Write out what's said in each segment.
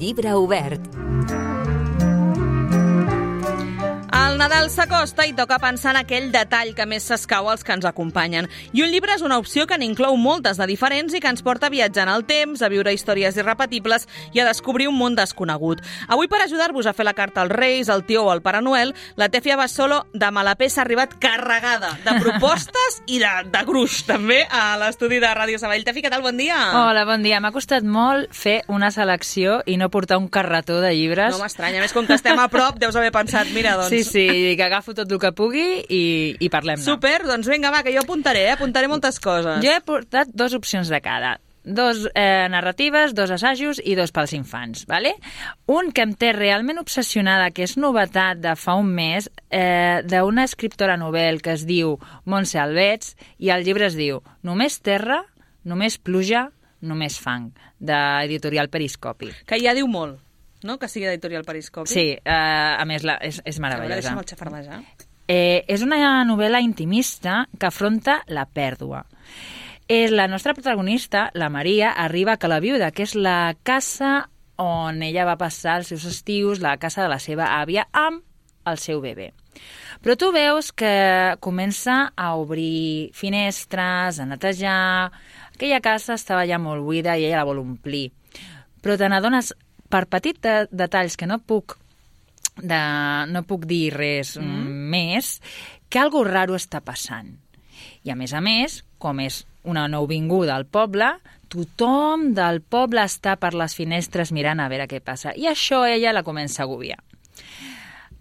Llibre obert. El Nadal s'acosta i toca pensar en aquell detall que més s'escau als que ens acompanyen. I un llibre és una opció que n'inclou moltes de diferents i que ens porta a viatjar en el temps, a viure històries irrepetibles i a descobrir un món desconegut. Avui, per ajudar-vos a fer la carta als Reis, al Tió o al Pare Noel, la Tèfia Bassolo de Malapés ha arribat carregada de propostes i de gruix, també, a l'estudi de Ràdio Sabadell. Tèfia, què tal? Bon dia! Hola, bon dia. M'ha costat molt fer una selecció i no portar un carretó de llibres. No m'estranya, més com que estem a prop, deus haver pensat, mira, doncs... Sí, que agafo tot el que pugui i parlem-ne. Super, doncs vinga, va, que jo apuntaré moltes coses. Jo he portat 2 opcions de cada. 2 narratives, 2 assajos i 2 pels infants, ¿vale? Un que em té realment obsessionada, que és novetat de fa un mes, d'una escriptora novel que es diu Montse Albets, i el llibre es diu Només terra, només pluja, només fang, d'Editorial Periscopi. Que ja diu molt, no?, que sigui d'Editorial Periscopi. Sí, a més és meravellosa. Deixa'm el xafardejar. És una novel·la intimista que afronta la pèrdua. La nostra protagonista, la Maria, arriba a Cala Viuda, que és la casa on ella va passar els seus estius, la casa de la seva àvia, amb el seu bebè. Però tu veus que comença a obrir finestres, a netejar... Aquella casa estava ja molt buida i ella la vol omplir. Però te n'adones, per petits detalls que no puc dir res més, que algo raro està passant. I a més, com és una nouvinguda al poble, tothom del poble està per les finestres mirant a veure què passa. I això ella la comença a agobiar.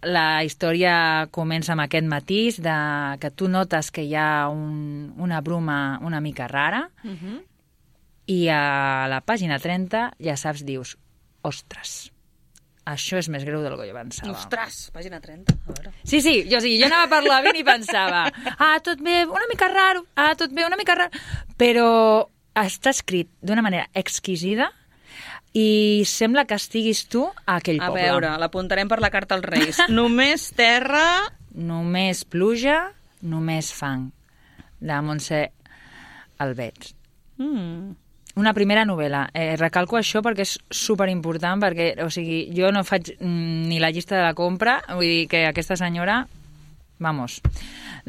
La història comença amb aquest matís de que tu notes que hi ha una bruma una mica rara i a la pàgina 30 ja saps, dius, ostres, això és més greu del que jo pensava. Ostres, pàgina 30, a veure. Sí, jo anava per l'AVE i pensava tot bé, una mica raro, tot bé, una mica raro, però està escrit d'una manera exquisida i sembla que estiguis tu a aquell poble. A veure, l'apuntarem per la carta als Reis. Només terra... Només pluja, només fang, de Montse Albets. Una primera novel·la. Recalco això perquè és superimportant, perquè, o sigui, jo no faig ni la llista de la compra, vull dir que aquesta senyora... Vamos.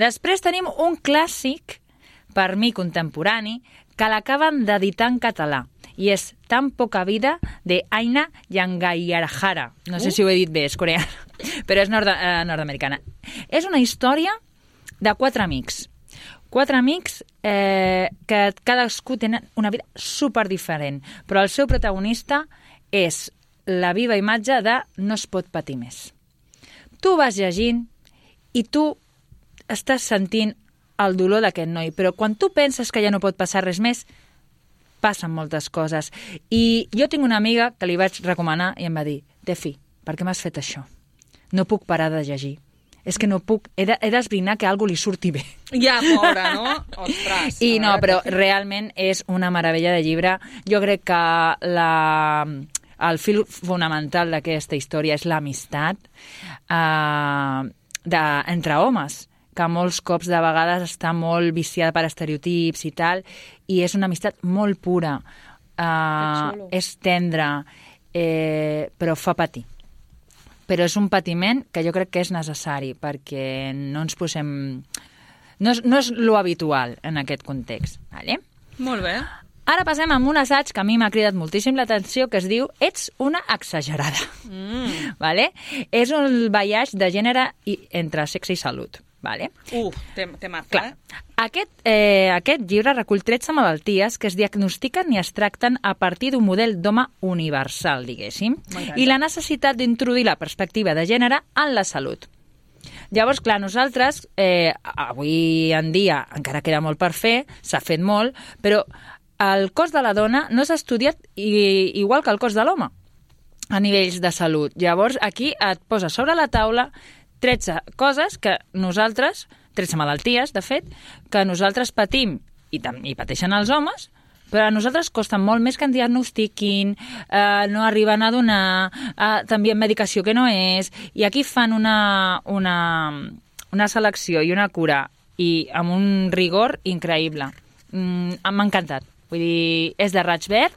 Després tenim un clàssic, per mi contemporani, que l'acaben d'editar en català, i és Tan poca vida, de Aina Yangayyarhara. No sé si ho he dit bé, és coreana, però és nord-americana. És una història de 4 amics. 4 amics que cadascú tenen una vida superdiferent, però el seu protagonista és la viva imatge de no es pot patir més. Tu vas llegint i tu estàs sentint el dolor d'aquest noi, però quan tu penses que ja no pot passar res més, passen moltes coses. I jo tinc una amiga que li vaig recomanar i em va dir, Tefi, per què m'has fet això? No puc parar de llegir. És que no puc, he d'esbrinar que algú li surti bé. Ja, pobra, no? Ostres. I no, però realment és una meravella de llibre. Jo crec que el fil fonamental d'aquesta història és l'amistat entre homes, que molts cops de vegades està molt viciada per estereotips i tal, i és una amistat molt pura, és tendra, però fa patir. Però és un patiment que jo crec que és necessari, perquè no ens posem... No és lo habitual en aquest context. Vale? Molt bé. Ara passem amb un assaig que a mi m'ha cridat moltíssim l'atenció, que es diu Ets una exagerada. Vale? És un biaix de gènere entre sexe i salut. Vale? Temazo, clar. Aquest llibre recull 13 malalties que es diagnostiquen i es tracten a partir d'un model d'home universal, diguéssim, i la necessitat d'introduir la perspectiva de gènere en la salut. Llavors, clar, nosaltres, avui en dia, encara queda molt per fer, s'ha fet molt, però el cos de la dona no s'ha estudiat igual que el cos de l'home a nivells de salut. Llavors, aquí et posa sobre la taula 13 coses que nosaltres, 13 malalties, de fet, que nosaltres patim i pateixen els homes, però a nosaltres costa molt més que en diagnostiquin, no arriben a donar, també medicació que no és, i aquí fan una selecció i una cura i amb un rigor increïble. M'ha encantat. Vull dir, és de raig verd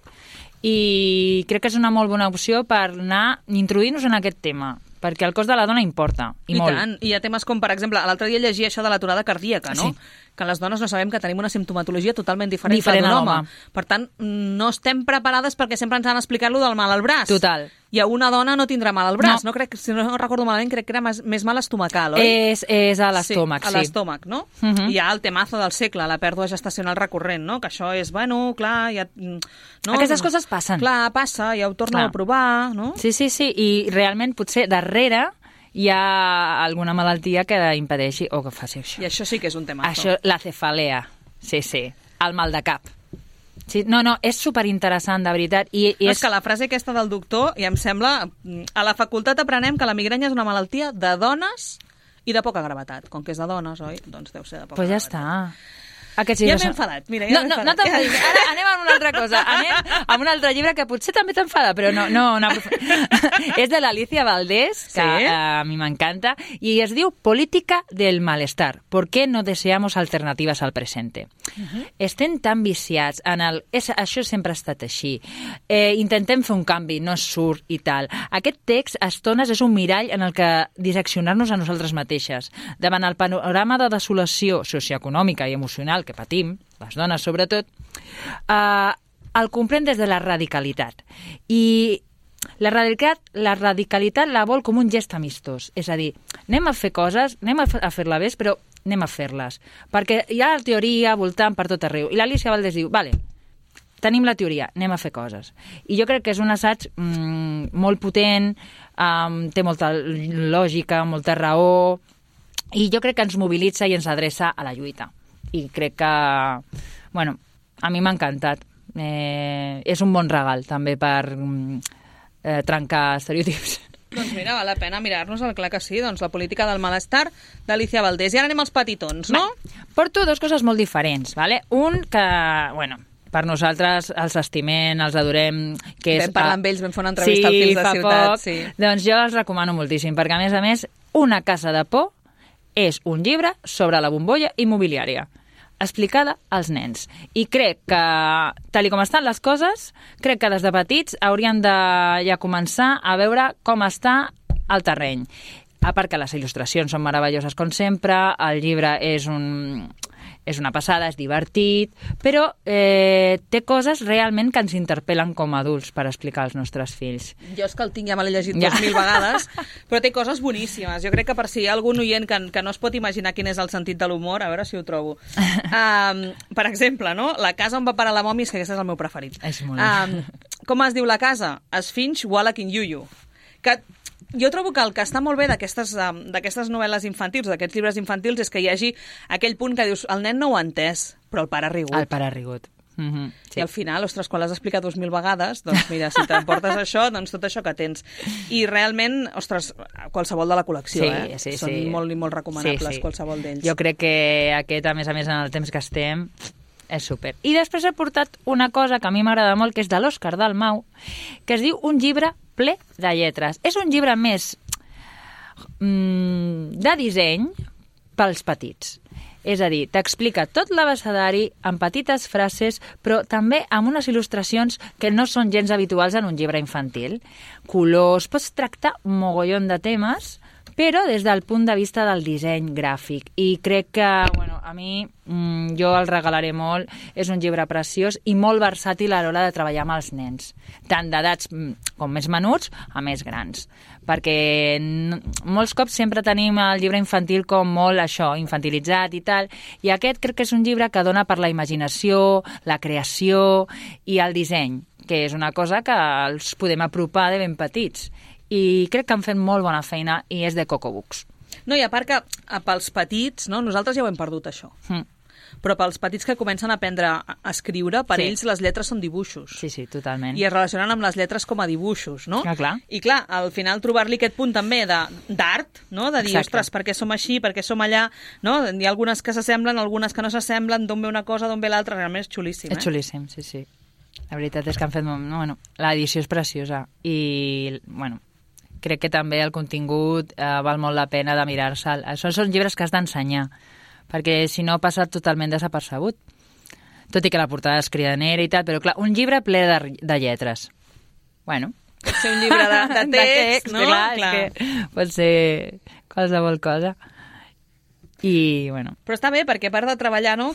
i crec que és una molt bona opció per anar introduint-nos en aquest tema, perquè el cos de la dona importa, i molt. Tant. I hi ha temes com, per exemple, l'altre dia llegia això de l'aturada cardíaca, no? Sí. Que les dones no sabem que tenim una simptomatologia totalment diferent que d'un home. Per tant, no estem preparades perquè sempre ens han explicat lo del mal al braç. Total. I a una dona no tindrà mal al braç. No. Crec, si no recordo malament, crec que era més mal estomacal, oi? És a l'estómac, sí. A l'estómac, no? Hi ha el temazo del segle, la pèrdua gestacional recurrent, no? Que això és, bueno, clar... Ja, no? Aquestes coses passen. Clar, passa, ja ho torno a provar, no? Sí, i realment potser darrere hi ha alguna malaltia que impedeixi o que faci això. I això sí que és un temazo. Això, la cefalea, sí, el mal de cap. Sí, no, és superinteressant, de veritat. És que la frase aquesta del doctor, i em sembla... A la facultat aprenem que la migranya és una malaltia de dones i de poca gravetat. Com que és de dones, oi? Doncs deu ser de poca gravetat. Pues ja està. Ja m'he enfadat, mira, ja m'he enfadat. No t'enfadis, ara anem a una altra cosa. Anem a un altre llibre que potser també t'enfada, però no. És de l'Alicia Valdés, que a mi m'encanta, i es diu Política del malestar. ¿Por qué no deseamos alternativas al presente? Estem tan viciats en el... Això sempre ha estat així. Intentem fer un canvi, no surt i tal. Aquest text, a estones, és un mirall en el que disseccionar-nos a nosaltres mateixes. Davant el panorama de desolació socioeconòmica i emocional que patim, les dones sobretot, el comprèn des de la radicalitat. I la radicalitat la vol com un gest amistós. És a dir, anem a fer coses, anem a fer-la bé, però anem a fer-les. Perquè hi ha la teoria voltant per tot arreu. I l'Alicia Valdés diu, vale, tenim la teoria, anem a fer coses. I jo crec que és un assaig molt potent, té molta lògica, molta raó, i jo crec que ens mobilitza i ens adreça a la lluita. I crec que, bueno, a mi m'ha encantat. És un bon regal, també, per trencar estereotips. Doncs mira, val la pena mirar-nos el clar que sí, doncs la política del malestar d'Alicia Valdés. I ara anem als petitons, no? Porto dues coses molt diferents, ¿vale? Un que, bueno, per nosaltres els estimem, els adorem, que és... Vam parlar amb ells, vam fer una entrevista al Fils de Ciutat. Sí, doncs jo els recomano moltíssim, perquè a més, Una casa de por és un llibre sobre la bombolla immobiliària, explicada als nens. I crec que, tal com estan les coses, crec que des de petits haurien de ja començar a veure com està el terreny. A part que les il·lustracions són meravelloses com sempre, el llibre és una passada, és divertit, però té coses realment que ens interpel·len com a adults per explicar als nostres fills. Jo és que el tinc, ja me l'he llegit 2000 vegades, però té coses boníssimes. Jo crec que per si hi ha algun oient que no es pot imaginar quin és el sentit de l'humor, a veure si ho trobo. Per exemple, no? La casa on va parar la mòmia, és que aquest és el meu preferit. És molt com es diu la casa? Esfinx Wallach in Yuyu. Que jo trobo que el que està molt bé d'aquestes novel·les infantils, d'aquests llibres infantils, és que hi hagi aquell punt que dius, el nen no ho ha entès, però el pare ha rigut. El pare ha rigut. Sí. I al final, ostres, quan l'has explicat 2000 vegades, doncs mira, si t'emportes això, doncs tot això que tens. I realment, ostres, qualsevol de la col·lecció, són molt i molt recomanables, qualsevol d'ells. Jo crec que aquest, a més, en el temps que estem, és súper. I després he portat una cosa que a mi m'agrada molt, que és de l'Òscar Dalmau, que es diu Un llibre ple de lletres. És un llibre més de disseny pels petits. És a dir, t'explica tot l'abecedari amb petites frases, però també amb unes il·lustracions que no són gens habituals en un llibre infantil. Colors, pots tractar un mogollon de temes, però des del punt de vista del disseny gràfic. I crec que, bueno, a mi jo el regalaré molt. És un llibre preciós i molt versàtil a l'hora de treballar amb els nens, tant d'edats com més menuts a més grans. Perquè molts cops sempre tenim el llibre infantil com molt això, infantilitzat i tal, i aquest crec que és un llibre que dona per la imaginació, la creació i el disseny, que és una cosa que els podem apropar de ben petits. I crec que han fet molt bona feina i és de Coco Books. No, i a part que pels petits, no, nosaltres ja ho hem perdut, això. Però pels petits que comencen a aprendre a escriure, per ells les lletres són dibuixos. Sí, totalment. I es relacionen amb les lletres com a dibuixos, no? Clar. I clar, al final trobar-li aquest punt també d'art, no? De dir, ostres, per què som així, per què som allà, no? Hi ha algunes que s'assemblen, algunes que no s'assemblen, d'on ve una cosa, d'on ve l'altra, realment és xulíssim. És xulíssim, sí. La veritat és que han fet... Bueno, l'edició és preciosa i, bueno, crec que també el contingut val molt la pena de mirar-se'l. Són llibres que has d'ensenyar, perquè si no passa totalment desapercebut. tot i que la portada és cridanera i tal, però clar, un llibre ple de lletres. Bueno. Pot ser un llibre de text, no? Clar. És que pot ser qualsevol cosa. I, bueno... Però està bé, perquè a part de treballar, no?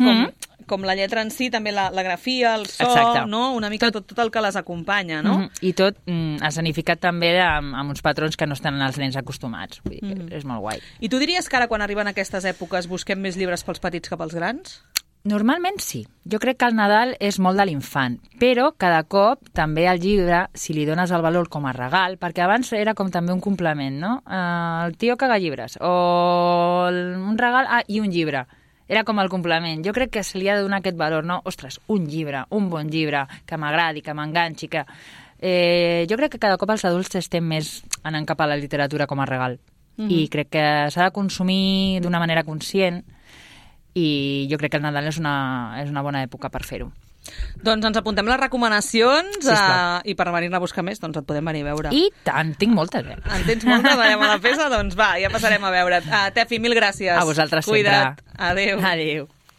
Com la lletra en si, també la grafia, el so, exacte. no? Una mica tot el que les acompanya, no? I tot escenificat també amb uns patrons que no estan els nens acostumats. Vull dir que és molt guai. I tu diries que ara, quan arriben aquestes èpoques, busquem més llibres pels petits que pels grans? Normalment sí. Jo crec que el Nadal és molt de l'infant, però cada cop també al llibre, si li dones el valor com a regal, perquè abans era com també un complement, no? El tio caga llibres, o un regal, i un llibre. Era com el complement. Jo crec que se li ha de donar aquest valor, no? Ostres, un llibre, un bon llibre, que m'agradi, que m'enganxi, que... jo crec que cada cop els adults estem més anant cap a la literatura com a regal. I crec que s'ha de consumir d'una manera conscient, i jo crec que el Nadal és una bona època per fer-ho. Doncs ens apuntem les recomanacions i per venir-ne a buscar més, doncs et podem venir a veure. I tant, tinc moltes, En tens moltes? Anem a la peça? Doncs va, ja passarem a veure. Tefi, mil gràcies. A vosaltres Cuida't. sempre. Adéu. Adéu.